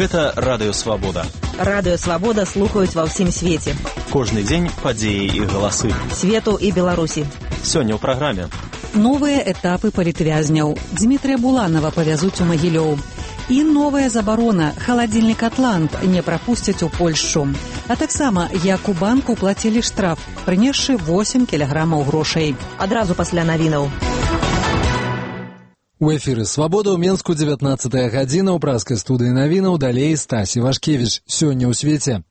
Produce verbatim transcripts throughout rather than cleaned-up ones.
Гэта Радыё Свабода. Радыё Свабода слухаюць ва ўсім свеце. Кожны дзень падзеі і галасы. Свету і Беларусі. Сёння ў праграме. Новыя этапы палітвязняў. Дмітрия Буланова павязуць у Магілёў. І новая забарона. Халадзільнік «Атлант» не прапусцяць у Польшчу. А таксама, як у банку плацілі штраф, прынесшы восем кілаграмаў грошай. Адразу пасля навінаў. У эфіры «Свабода» ў Менску дзевятнаццатая гадзіна, ў праскай студыі навінаў, далей Стасі Вашкевіч. Сёння ў свеце.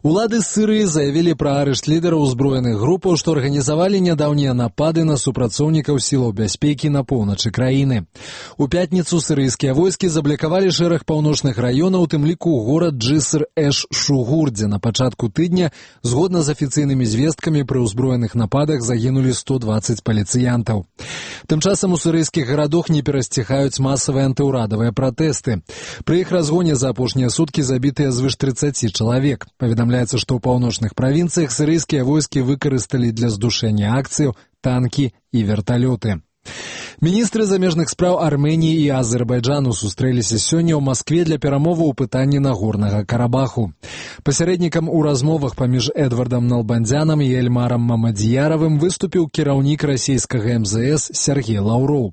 Улады Сырыі заявілі пра арышт лідараў узброеных групаў, што арганізавалі нядаўнія напады на супрацоўнікаў сілаў бяспекі на поўначы краіны. У пятніцу сырыйскія войскі заблокавалі шэраг паўночных раёнаў, у тым ліку горад Джиср-эш-Шугур, дзе на пачатку тыдня, згодна з афіцыйнымі звесткамі, пры ўзброеных нападах загінулі сто дваццаць паліцыянтаў. Тым часам у сырыйскіх гарадах не перасціхаюць масавыя антыўрадавыя пратэсты. Пры іх разгоне за апошнія суткі забітыя звыш трыццаці чалавек. Паведамляецца, што ў паўночных правінцыях сырыйскія войскі выкарысталі для здушэння акцыяў танкі і верталёты. Міністры замежных спраў Арменіі і Азербайджану сустрэліся сёння ў Маскве для перамоваў у пытанні Нагорнага Карабаху. Пасярэднікам у размовах паміж Эдвардам Налбандзянам і Эльмарам Мамадзіяравым выступіў кіраўнік расійскага эм зэ эс Сергей Лаўроў.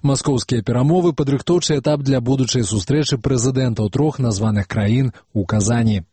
Маскоўскія перамовы – падрыхтоўчы этап для будучай сустрэчы прэзідэнтаў трох названых краін у Казані.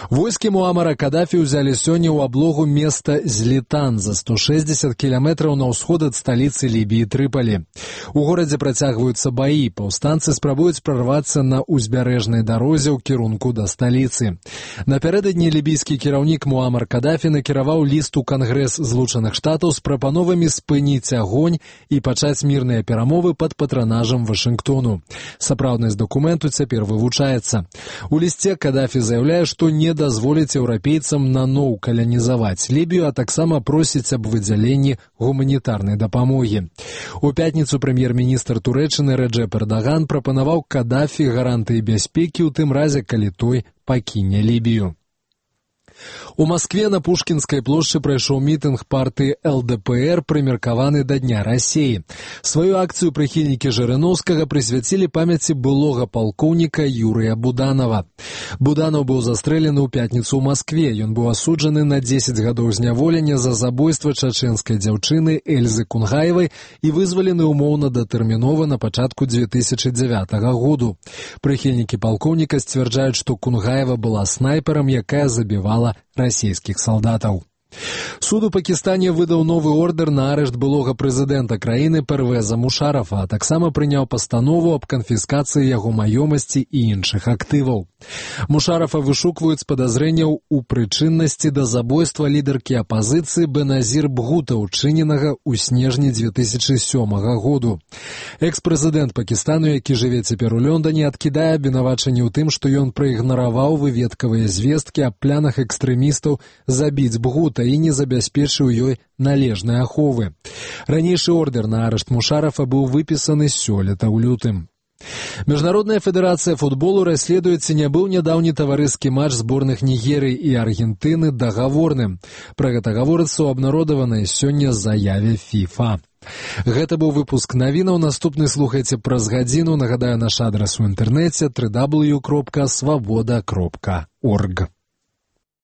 Войскі Муамара Кадафі ўзялі сёння ў аблогу места Злітан за сто шэсцьдзесят кіламетраў на ўсход ад сталіцы Лібіі Трыпалі. У горадзе працягваюцца баі, паўстанцы спрабуюць прарвацца на ўзбярэжнай дарозе ў кірунку да сталіцы. Напярэдадні лібійскі кіраўнік Муамар Кадафі накіраваў ліст у Кангрэс Злучаных Штатаў з прапановамі спыніць агонь і пачаць мірныя перамовы пад патранажам Вашынгтону. Сапраўднасць дакументу цяпер вывучаецца. У лісце Кадафі заяўляе, што не дазволіць еўрапейцам наноў каланізаваць Лібію, а таксама просіць аб выдзяленні гуманітарнай дапамогі. У пятніцу прэм'ер-міністр Турэччыны Рэджэп Эрдаган прапанаваў Кадафі гарантыі бяспекі ў тым разе, калі той пакіне Лібію. У Маскве на Пушкінскай плошчы прайшоў мітынг партыі эл дэ пэ эр, прымеркаваны да Дня Расіі. Сваю акцыю прыхільнікі Жырыноўскага прысвяцілі памяці былога палкоўніка Юрыя Буданова. Буданов быў застрэлены ў пятніцу ў Маскве. Ён быў асуджаны на дзесяць гадоў зняволення за забойства чачэнскай дзяўчыны Эльзы Кунгаевай і вызвалены ўмоўна датэрмінова на пачатку дзве тысячы дзявятага году. Прыхільнікі палкоўніка сцвярджаюць, што Кунгаева была снайперам, якая забівала расійскіх салдатаў. Суд у Пакістане выдаў новы ордер на арышт былога прэзідэнта краіны Первеза Мушарафа, а таксама прыняў пастанову аб канфіскацыі яго маёмасці і іншых актываў. Мушарафа вышукваюць з падазрэнняў у прычыннасці да забойства лідаркі апазіцыі Беназір Бгута, учыненага ў снежні дзве тысячы сёмага году. Экс-прэзідэнт Пакістану, які жыве цяпер у Лондоне, адкідае абвінавачанні ў тым, што ён праігнараваў выведкавыя звесткі аб планах экстрэмістаў забіць Бгута і не забяспечыў ёй належнай аховы. Ранейшы ордер на арышт Мушарафа быў выпісаны сёлета ў лютым. Міжнародная федэрацыя футболу расследуе, ці не быў нядаўні таварыскі матч зборных Нігерыі і Аргентыны дагаворным. Пра гэта гаворыцца ў абнародаванай сёння заяве фіфа. Гэта быў выпуск навінаў. Наступны слухайце праз гадзіну. Нагадаю, наш адрас у інтэрнэце дабл ю дабл ю дабл ю кропка свабода кропка орг.